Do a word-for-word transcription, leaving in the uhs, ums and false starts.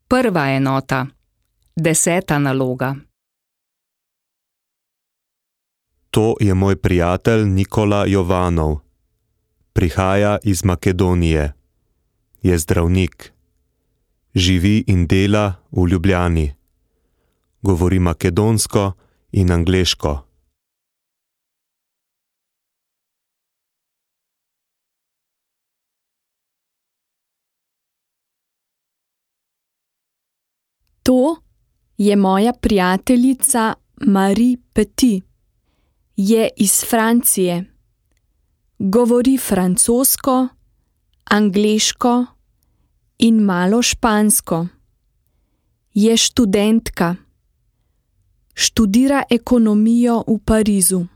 Prva enota. Deseta naloga. To je moj prijatelj Nikola Jovanov. Prihaja iz Makedonije. Je zdravnik. Živi in dela v Ljubljani. Govori makedonsko in angleško. To je moja prijateljica Marie Petit. Je iz Francije. Govori francosko, angleško in malo špansko. Je študentka. Študira ekonomijo v Parizu.